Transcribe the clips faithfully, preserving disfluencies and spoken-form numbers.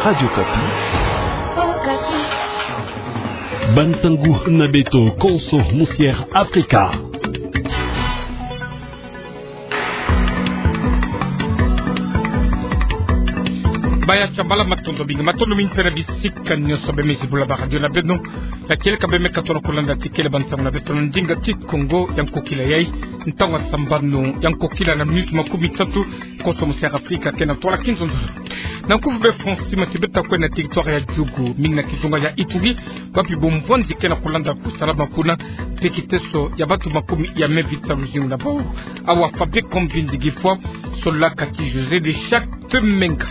Radio Okapi. Bansangu na beto konso musière Afrika. Baya tia bala, matondo mingi, matondo mingi mpe na bisika nyonso bemezi bula ba radio na beno. Ya kieleka bemeka tona kulanda tikele bansangu na beto na ndinga Kikongo ya nkokila yai. Ntangu ya sambanu ya nkokila na minuti makumi tatu, konso musière Afrika ke na ntwala kinzonzolo. Na nkufi be France, tima ti beta kwenda na territoire ya Djugu, mingi na kizunga ya Ituri, wapi bumvwanzi ke na kulanda kusalama kuna, mpe kiteso ya bantu makumi ya me vita luzingu na bau. Awa Fabien Kombindi Gifwa, solola kati José de Charte Menga.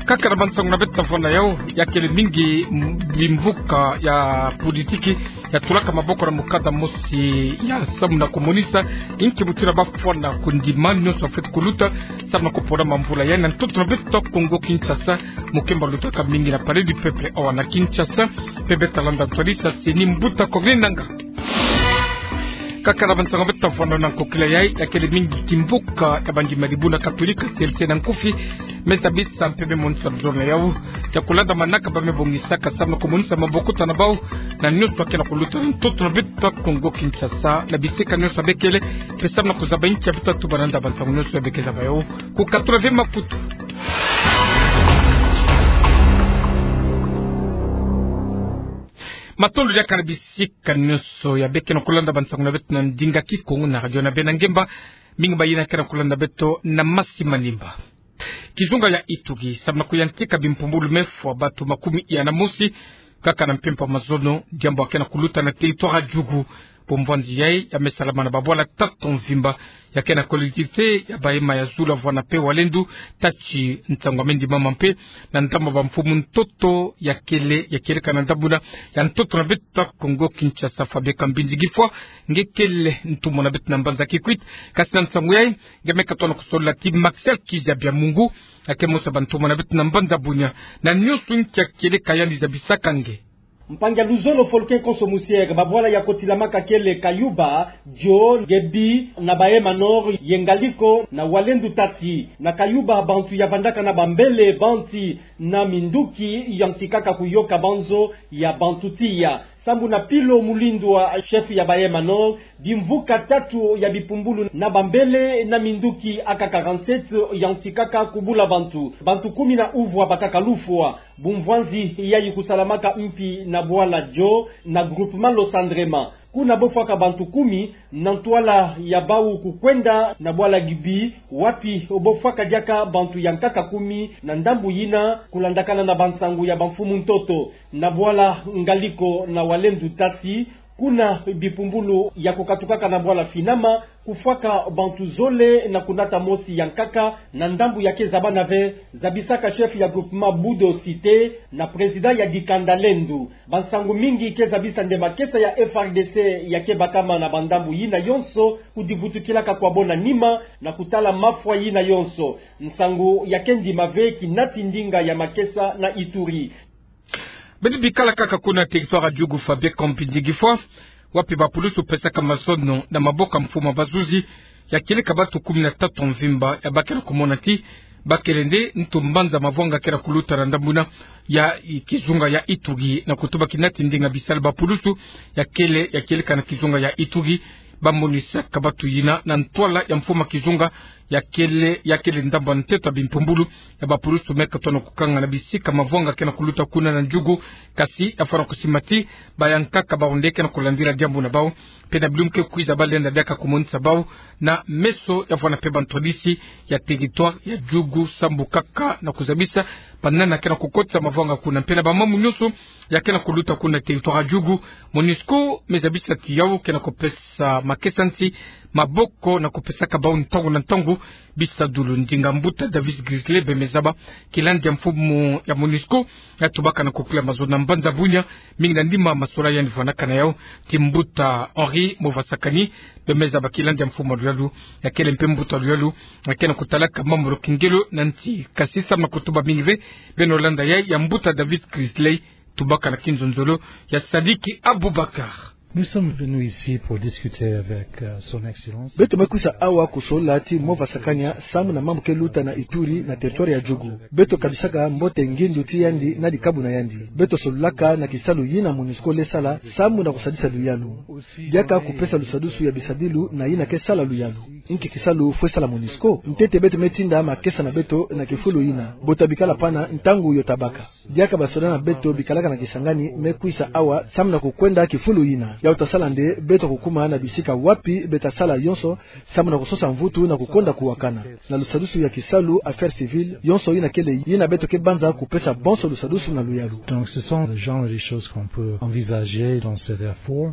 Kaka na bansangu na beta vwanda yau, ya kele mingi m-, bimvuka ya politiki ya tulaka maboko na mukanda mosi ya samu na kumonisa inki mutindu ba fwana kundima nyonso fweti kuluta samu na kupona mamvula yai na ntoto na beto Kongo-Kinshasa, mu kemba lutaka mingi na Palais du Peuple awa na Kinshasa, mpe beta landa ntwadisi ya CENI, mbuta Corneille Nangaa. Kaka na bansangu beta vwanda na nkokila yai, ya kele mingi kimvuka ya bandima dibundu katolika, C L C na nkufi, me zabisa mpe me monisa luzolo na yau ya kulanda manaka ba me bongisaka samu na kumonisa mabokuta na bau na nyonso ya ke na kuluta na ntoto na beto Kongo-Kinshasa, na bisika nyonso ya be kele, mpe samu na kuzaba inki ya beta tuba na nda bansangu nyonso ya be ke zaba yau. Kukatula ve makutu. Matondo diaka na bisika nyonso ya be ke na kulanda bansangu na beto na ndinga Kikongo na radio na beno na ngemba, mingi bayina ke na kulanda beto na masi manimba. Kizunga ya Ituri, samu na kuyantika bimpumbulu, me fwa bantu makumi ya na mosi kaka na mpempa mazono, diambu ya ke na kuluta na territoire ya Djugu. Bumvwanzi yai ya me salama na babwala tatu mvimba ya ke na collectivité ya Bahema ya Zulu, Avwana mpe Walendu, Tati, Nsangu Amendi Mama mpe na ndambu ya bamfumu ntoto ya kele, ya kieleka na ndambu na ya ntoto na beto Kongo-Kinshasa. Fabien Kombindi Gifwa, nge kele ntumwa na beto na mbanza Kikwit, kasi na nsangu yai, nge meka tona kusolola ti Marcel Kizabia Mungu, ya ke mosi ya bantumwa na beto na mbanza Bunia. Na nyonso inki ya kieleka yandi zabisaka nge. Mpangi ya luzolo Folken konso musière, babwala ya kotilamaka kele Kayuba, Djo, Gebi, na Bahema Nord, ye Ngaliko, na Walendu Tasi. Na Kayuba, bantu ya vandaka na bambele, banti na minduki, yantikaka kuyoka banzo ya bantu tiya. Sambu na Pilo Mulindwa, chef ya Bahema Nord, bimvuka tatu ya bipumbulu na bambele na minduki A K quarante-sept yantikaka kubula bantu. Bantu kumi na uvwa bakaka lufwa. Bumvwanzi yai kusalamaka mpi na bwala Djo na groupement Losandrema. Kuna bo fwaka bantu kumi, na ntwala ya bau kukwenda na bwala Gibi, wapi bo fwaka diaka bantu ya nkaka kumi, na ndambu yina kulandakana na bansangu ya bamfumu ntoto. Na bwala Ngaliko na Walendu Tasi, kuna bipumbulu ya kukatukaka na bwala Finama, kufwaka bantu zole na kunata mosi ya nkaka, na ndambu ya ke zabana ve, zabisaka chef ya groupement Budo Cité na président ya dikanda Lendu. Bansangu mingi ke zabisa nde makesa ya F R D C ya ke bakama na bandambu yina yonso, kudivutukilaka kwa bo na nima, na kutala mafwa yina yonso. Nsangu ya ke ndima ve kinati ndinga ya makesa na Ituri. Beno bikala kaka kuna territoire ya Djugu, Fabien Kombindi Gifwa, wapi bapulusu pesaka mazono na maboko ya mfumu ya bazuzi, ya kieleka bantu kumi na tatu mvimba, ya ba ke na kumona ti ba kele nde ntu mbanza mavwanga ke na kuluta na ndambu na ya kizunga ya Ituri, na kutuba kinati ndinga bisalu bapulusu ya kele, ya kieleka na kizunga ya Ituri, bamonisaka bantu yina na ntwala ya mfumu ya kizunga ya kele, ya kele ndambu ya nteto ya bimpumbulu ya bapulusu meka tona kukanga na bisika mavwanga ke na kuluta kuna na Djugu, kasi ya fwana kusima ti bayankaka bau nde ke na kulandila diambu na bau, mpe na bilumbu ke kwiza ba lenda diaka kumonisa bau na meso ya fwana mpe bantwadisi ya territoire ya Djugu, sambu kaka na kuzabisa banana ke na kukotisa mavwanga kuna mpe na bamambu nyonso ya ke na kuluta kuna territoire ya Djugu. Monusco me zabisa ti yau ke na kupesa makesa nsi maboko na kupesaka bau ntangu na ntangu bisadulu. Ndinga mbuta Davis Grisley Bemezaba, kilandi ya mfumu ya Monusco, ya tubaka na kukila mazono na mbanza Bunia, mingi na nima masolo yandi fwanaka na yau ti mbuta Henri Movasakani Bemezaba, kilandi ya mfumu ya luyalu, ya kele mpe mbuta ya luyalu ya ke na kutalaka mambu ya kingelo na nsi. Kasi samu na kutuba mingi ve, beno landa yai ya mbuta Davis Grisley, tubaka na kinzonzolo ya Sadiki Abubakar. Nous sommes venus ici pour discuter avec, euh, Son Excellence. Beto me kwisa awa kusolola ti mova sakania samu na mambu ke luta na Ituri na territoire ya Djugu. Beto kabisaka mbote ngindu ti yandi na dikabu na yandi. Beto sololaka na kisalu yina MONUSCO le sala samu na kusadisa luyalu. Diaka kupesa lusadusu ya bisadilu na yina ke sala luyalu. Inki kisalu fwe sala MONUSCO? Ntete beto me tinda makesa na beto na kifulu yina. Bo tabikala pana ntangu yo tabaka. Diaka basoda na beto bikalaka na Kisangani me kwisa awa samu na kukwenda kifulu yina. Yawu ta sala nde beto kukuma na bisika wapi beta sala yonso samu na kusosa mvutu na kukonda kuwakana. Na lusadusu ya kisalu, affaires civiles, yonso yina kele yina beto ke banza kupesa bonso lusadusu na luyalu. Donc, ce sont le genre de choses qu'on peut envisager dans cet effort.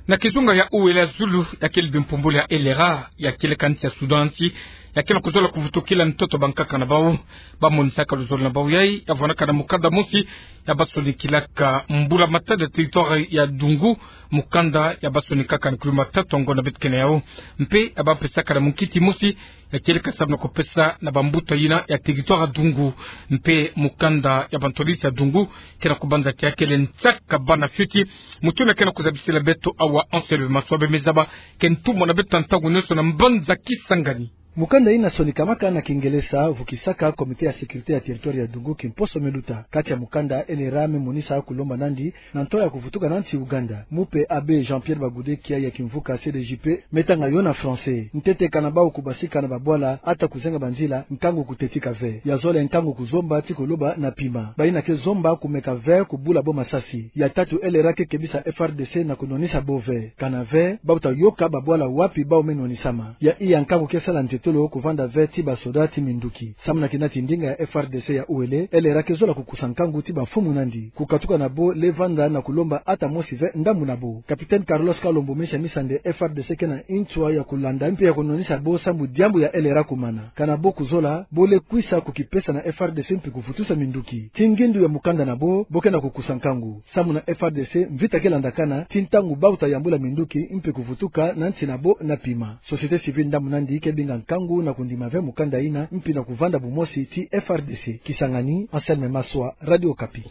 Na kizunga ya Uele ya zulu, ya kele bimpumbulu ya LRA, ya kele kansi ya Sudan ti, ya kele kuzola kuvutukila ntoto bankaka na bawu, bamonisaka luzolo na bawu yai, ya vwanaka na mukanda mosi, ya basonikilaka mbula matadi ya territoire ya Dungu, mukanda ya basonikaka na kilomètre tatu ya ngonda beto ke na yawu. Mpe ya bapesaka na munkiti mosi, ya kele kasamu na kupesa na bambuta yina ya territoire ya Dungu. Mpe mukanda ya bantwadisi ya Dungu, ke na kubanza ti ya kele nsaka bana fioti. Mutu yina ke na kuzabisila beto awa Anselme Maswa, bemezaba ke ntumwa na beto ntangu nionso na mbanza Kisangani. Mukanda yina sonikamaka na Kingelesa, vukisaka Comité ya sécurité ya territoire ya Dungu kimposo me luta. Kati ya mukanda, LRA me monisa kulomba nandi na nto ya kuvutuka na nsi Ouganda. Mupe Abbé Jean-Pierre Bagudekia ya kimvuka CDJP me tanga yo na français. Ntete kana bawu kubasika na babwala, ata kuzenga banzila, nkangu kutetika ve. Ya zole nkangu kuzomba ti kuloba na pima. Bayina ke zomba kumeka ve kubula bo masasi. Ya tatu, LRA ke kebisa FRDC na kunwanisa bo ve. Kana ve, bawu ta yoka babwala wapi bawu me nwanisama. Ya iya nkangu ke sala ntetolo kuvanda ve ti basoda ti minduki. Samu na kina ti ndinga ya FRDC ya Uele, LRA ke zola kukusa nkangu ti bamfumu nandi. Kukatuka na bo le vanda na kulomba ata mosi ve ndambu na bo. Capitaine Carlos Kalombo me sa misa nde FRDC ke na nswa ya kulanda mpe ya kunwanisa bo sambu diambu ya LRA kumana. Kana bo kuzola, bo le kwisa kukipesa na FRDC mpe kuvutusa minduki. Ti ngindu ya mukanda na bo, bo ke na kukusa nkangu. Samu na FRDC, mvita ke landakana, ti ntangu bawu ta yambula minduki mpe kuvutuka na nsi na bo na pima. Société civile ndambu nandi ke binga nkangu na kundima ve mukanda yina, mpe na kuvanda bumosi ti FRDC. Kisangani, Anselme Maswa, Radio Okapi.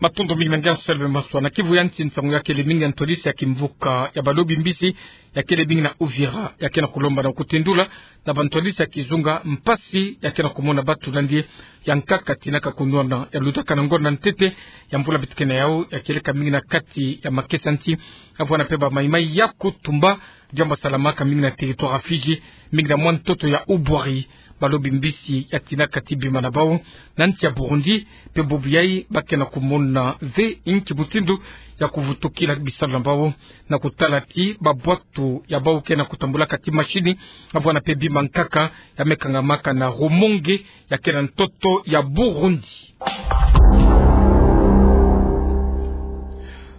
Matondo mingi na nge Anselme Maswa. Na Kivu ya nsi, nsangu ya kele mingi ya ntwadisi ya kimvuka ya balobi mbisi ya kele mingi na Uvira, ya ke na kulomba na kutendula na bantwadisi ya kizunga mpasi ya ke na kumona batu nandi ya nkaka tinaka kunwana, ya lutaka na ngonda ntete ya mvula beto ke na yawu, ya kieleka mingi na kati ya makesa nsi, ya vwanda mpe ba Maï-Maï ya kutumba, diambu salamaka mingi na territoire ya Fidji, mingi na mwa ntoto ya Ubwari. Balobi mbisi ya tinaka ti bima na bawu na nsi ya Burundi, mpe bubu yai ba ke na kumona ve inki mutindu ya kuvutukila bisalu na bawu, na kutala ti babwatu ya bawu ke na kutambulaka ti mashini, ya vwanda mpe bima nkaka ya me kangamaka na Rumonge, ya ke na ntoto ya Burundi.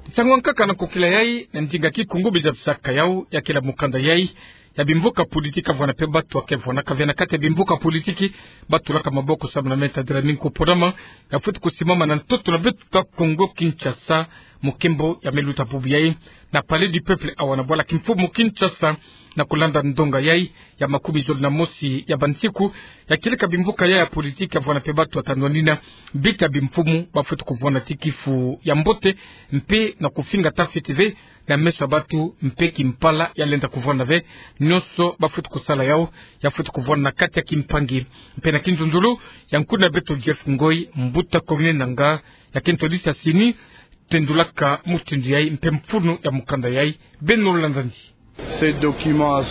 Nsangu ya nkaka na nkokila yai, na ndinga Kikongo beza bisaka yawu, ya kele mukanda yai ya bimvuka politique, ya vwanda mpe batu ya ke vwanaka ve na kati ya bimvuka politique, batulaka maboko samu na me tadila mingi kuponama, ya fweti kusimama na ntoto na beto Kongo Kinshasa, mu nkembo ya me luta bubu yai na Palais du Peuple, awa na bwala kimfumu Kinshasa, na kulanda ndonga yai ya makumi zole na mosi ya bansiku, ya kieleka bimvuka yai ya politique, ya vwanda mpe batu ya ta nwanina bika bimfumu, ba fweti kuvwanda ti kifu ya mbote, mpe na kufinga ta fioti ve na meso ya batu, mpe kimpala ya lenda kuvwanda ve. Nionso ba fweti kusala yawu, ya fweti kuvwanda na kati ya kimpangi. Mpe na kinzonzolo ya nkuna beto Jeff Ngoy, mbuta Corneille Nangaa, ya ke ntwadisi ya CENI, tendulaka mutindu yai mpe mfunu ya mukanda yai. Beno landani.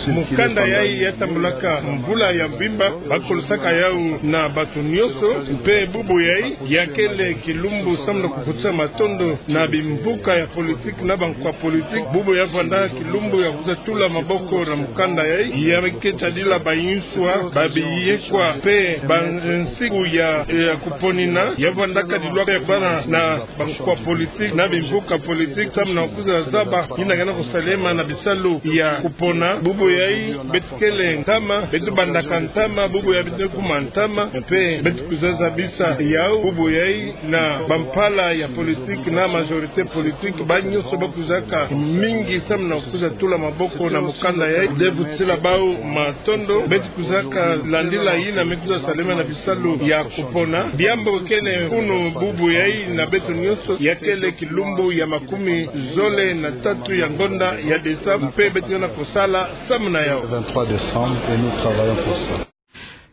Mukanda yai ya tambulaka mvula ya mvimba, ba kolisaka yawu na batu nionso, mpe bubu yai ya kele kilumbu samu na kuvutisa matondo na bimvuka ya politique na bankwa politique. Bubu ya vwanda kilumbu ya kwiza tula maboko na mukanda yai, ya ke tadila bayinswa, babiyekwa, mpe bansiku ya, ya kuponina, ya vwanda kadilwaka ya bana na bankwa politique na bimvuka politique, samu na kwiza zaba yina ke na kusalema na bisalu ya kupona. Bubu yayi beto kele ntama, beto bandaka ntama, bubu yayi beto kuma ntama, mpe beto kwiza zabisa yawu bubu yayi na bampala ya politique na majorité politique, ba nyonso ba kwizaka mingi samu na kwiza tula maboko na mukanda yayi, de vutisila bawu matondo. Beto kwizaka landila yina me kwiza salema na bisalu ya kupona. Diambu kele kunu bubu yayi na beto nyonso, ya kele kilumbu ya makumi zole na tatu ya ngonda ya décembre, mpe beto ke na kusala samu na yawu. Vingt-trois décembre, et nous travaillons pour ça.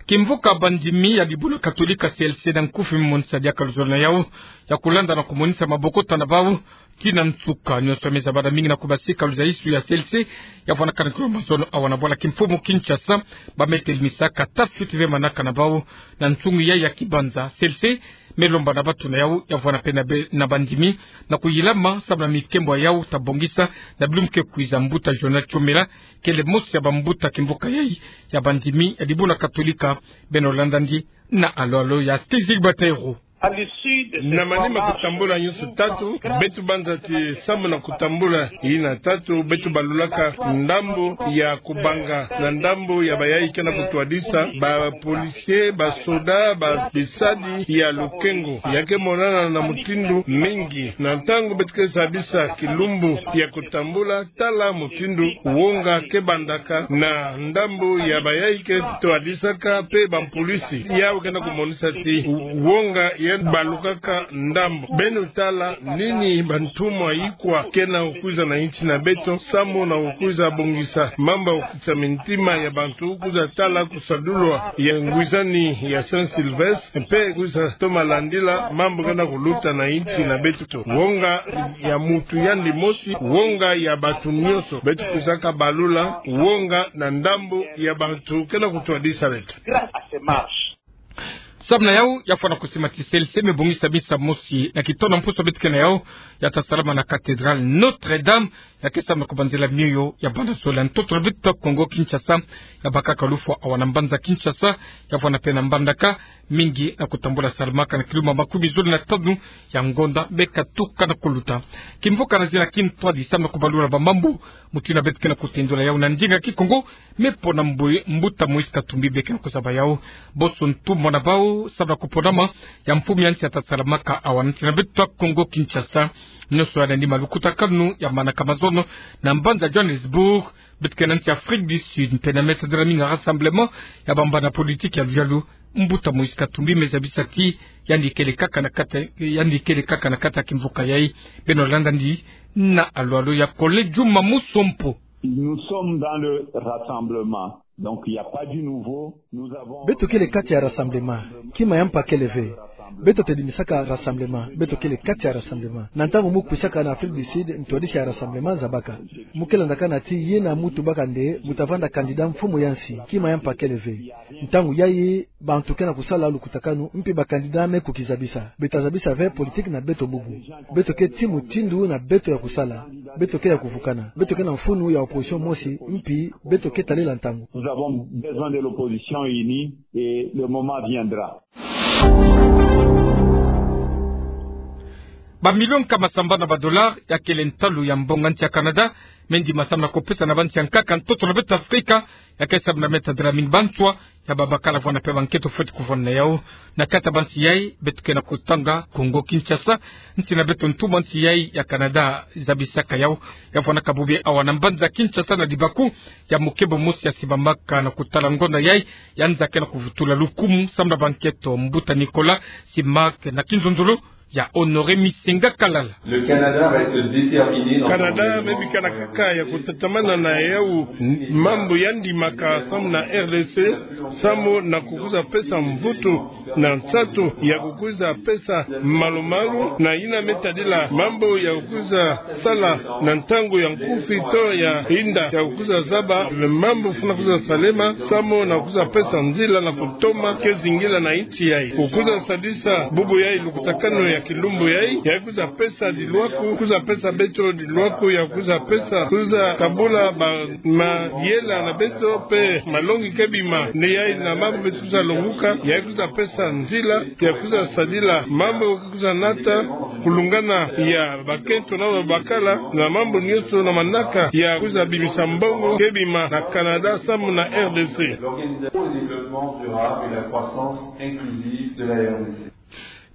Kimvuka bandimi ya dibundu katolika C L C na nkufi me monisa diaka luzolo na yawu ya kulanda na kumonisa mabokota na bawu tii na nsuka. Nyonso me zabana mingi na kubasika luzaisu ya C L C ya vwanakana kilo mazono awa na bwala kimfumu Kinshasa, ba me telemisa ka tafiti ve manaka na bawu na nsungi yayi ya kibanza. C L C me lomba na bato na yawu ya vwana mpe na be-, na bandimi na kuyilama samu na mikembo ya yawu ta bongisa na bilumbu ke kwiza. Mbuta Jonas Chomela kele mosi ya bambuta kimvuka yayi ya bandimi ya dibundu katolika. Beno landa ndi na alo alo ya Stizig Batero. Na manima kutambula nyonso tatu, beto banza ti samu na kutambula yina tatu, beto balulaka ndambu ya kubanga na ndambu ya bayayi ke na kutwadisa, ba policier, ba soda, ba bisadi ya lukengo. Ya ke monana na mutindu mingi na ntangu beto ke zabisa kilumbu ya kutambula, tala mutindu wonga ke bandaka na ndambu ya bayayi ke twadisaka mpe bampolisi. Yawu ke na kumonisa ti wonga ya balukaka ndambu. Beno tala nini bantumwa ikwa ke na kukwiza na insi na beto, samu na kukwiza bongisa mambu ya kukitisa mintima ya bantu, kwiza tala kusadulwa ya ngwizani ya Saint Sylvestre, mpe kwiza toma landila mambu ke na kuluta na insi na beto. Wonga ya mutu yandi mosi, wonga ya bato nyonso. Beto kwizaka balula wonga na ndambu ya bantu ke na kutwadisa beto. Samu na yawu, ya fwana kusima ti C L C me bongisa misa mosi na kitono mpusu beto ke na yawu, ya ta salama na cathédrale Notre-Dame, ya ke samu na kubanzila mioyo ya bana zole. Ntoto na beto Kongo Kinshasa, ya bakaka lufwa awa na mbanza Kinshasa, ya vwana mpe na Mbandaka, mingi na kutambula salamaka na kilumbu makumi zole na tanu ya ngonda me katuka na kuluta. Kimvuka na zina kintwadi samu na kubalula bamambu mutu yina beto ke na kutendula yawu na ndinga Kikongo, me pona mbu-, mbuta Moïse Katumbi be ke na kuzaba yawu. Bonso ntumwa na bawu samu na kuponama ya mfumu ya nsi ya ta salamaka awa na nsi na beto Kongo Kinshasa. Nyonso ya nandi malukutakanu ya manaka mazono na mbanza Johannesburg, beto ke na nsi Afrique du Sud, mpe na me tadila mingi rassemblement ya bambana politique ya luyalu. Mbuta Moïse Katumbi me zabisa ti yandi kele kaka na kati, yandi kele kaka na kati ya kimvuka yayi. Beno landa ndi na alo alo ya Kole Juma Musompo. Nous sommes dans le rassemblement. Donc, il n'y a pas du nouveau. Nous avons... Beto kele kati ya rassemblement. Kima ya mpa kele ve. Beto tadimisaka rassemblement. Beto kele kati ya rassemblement. Na ntangu mu kwisaka na Afrique du Sud, ntwadisi ya rassemblement zabaka. Mu ke landaka na ti yina mutu baka nde mu ta vanda candidat mfumu ya nsi. Kima ya mpa kele ve. Ntangu yayi, bantu ke na kusala lukutakanu, mpi ba candidat me kukizabisa. Beta zabisa ve politique na beto bubu. Beto ke tii mutindu na beto ya kusala. Beto ke ya kuvukana. Beto ke na mfunu ya opposition mosi, mpi beto ke talela ntangu. Nous avons besoin de l'opposition unie et le moment viendra. Ba million nkama sambanu ya ba dollars ya kele ntalu ya mbongo ya nsi ya Canada me ndima samu na kupesa na bansi ya nkaka ntoto na beto Afrika, ya ke samu na me tadila mingi banswa ya babakala vwana mpe bankento fweti kuvwana na yawu. Na kati ya bansi yayi beto ke na kutanga Kongo Kinshasa, nsi na beto ntumwa nsi yayi ya Canada zabisaka yawu. Ya vwanaka bubu awa na mbanza Kinshasa na libaku ya mukebo mosi ya simbamaka na kutala ngonda yayi ya nza ke na kuvutula lukumu samu na bankento, mbuta Nicolas Simak na kinzonzolo ya Honoré Misenga Kalala. Le Canada reste déterminé dans son engagement. Canada me bikana kaka ya kutatamana na yawu mambu ya ndimaka samu na R D C, samu na kukwiza pesa mvutu na nsatu ya kukwiza pesa malu-malu na yina me tadila mambu ya kukwiza sala na ntangu ya nkufi to ya inda, ya kukwiza zaba mambu funa kwiza salema samu na kukwiza pesa nzila na kutoma ke zingila na insi yayi. Kukwiza sadisa bubu yayi lukutakanu ya Kilumbu yayi, yayi kwiza pesa diluaku, kwiza pesa beto diluaku, ya kwiza pesa, kwiza tabula ba mayela na beto, pe malongi ke bima, ni yayi na mambu beto kwiza longuka, yayi kwiza pesa nzila, ya kwiza sadila mambu kwiza nata, kulungana ya bakento na babakala, na mambu nyonso na manaka, ya kwiza bimisa mbongo ke bima na Canada, samu na R D C. L'organisation et le développement durable et la croissance inclusive de la R D C.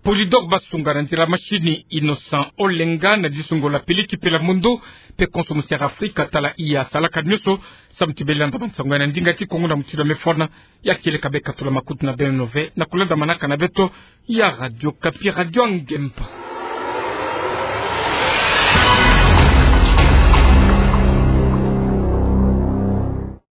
Polydor Basunga na nzila masini Innocent Olenga na disungo la pili kipe la mondo, pe konso musi ya Afrika tala iya salaka nyonso, samu ti bele landa bansango ya na ndinga Kikongo na mutindo mefona, ya kieleka beka tula makutu na beno ve, na kulanda manaka na beto, ya Radio Okapi, Radio Ngemba.